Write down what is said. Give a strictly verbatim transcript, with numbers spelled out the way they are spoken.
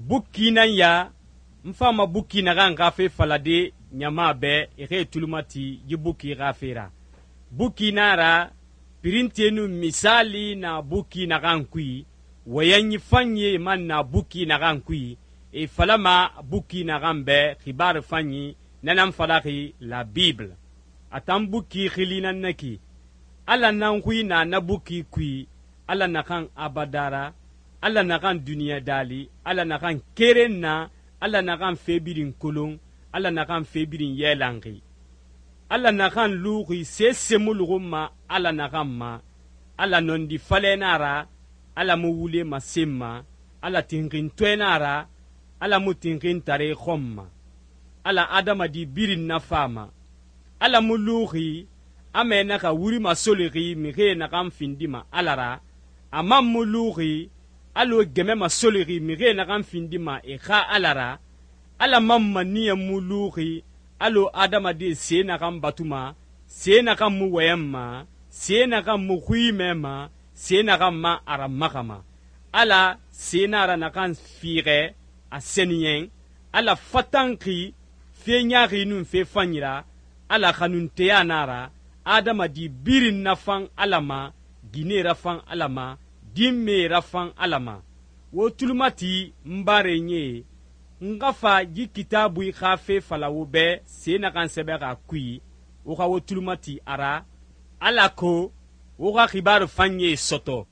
Bukki nan ya n fama bukki naxan xa fe falade ɲama bɛ e xe tulu mati yi bukki xa fe ra. Bukki na ra pirinte nun misali na bukki naxan kui, wɔyɛnyi fanyi man na bukki naxan kui, e falama bukki naxan bɛ xibaaru fanyi na nan falaxi la Bible. A tan bukki xili nan na ki, Ala nan xui na na bukki kui, Ala naxan abada ra, Ala naxan duniɲa daali, Ala naxan keren na, Ala naxan fe birin kolon, Ala naxan fe birin yɛlanxi. Ala naxan luxi se semuluxunma Ala naxan ma, Ala nɔndi falɛ na ra, Ala mu wule masenma, Ala tinxintɔɛ na ra, Ala mu tinxintare xɔn ma. Ala adamadi birin nafama. Ala mu luxi a mɛ naxa wuri masolixi mixie naxan findima Ala ra, a man mu luxi allo gɛmɛ masolixi mixie naxan findima e xa Ala ra, Ala man maniya mu luxi allo adamade se naxan batuma, se naxan mu wɔyɛnma, se naxan mu xui mɛma, se naxan ma a ramaxama. Ala se na ra naxan fiixɛ a sɛniyɛn, Ala fatanxi fe ɲaaxi nun fe fanyi ra, Ala xanunteya na ra, adamadi birin nafan Ala ma, ginɛ rafan Ala ma, dinme rafan Ala ma. Wo tulumati n barenye, n xa fa yi kitabui xa fe fala wo bɛ se naxan sɛbɛxa kui, wo xa wo tulumati a ra, alako wo xa xibaaru fanye sɔtɔ.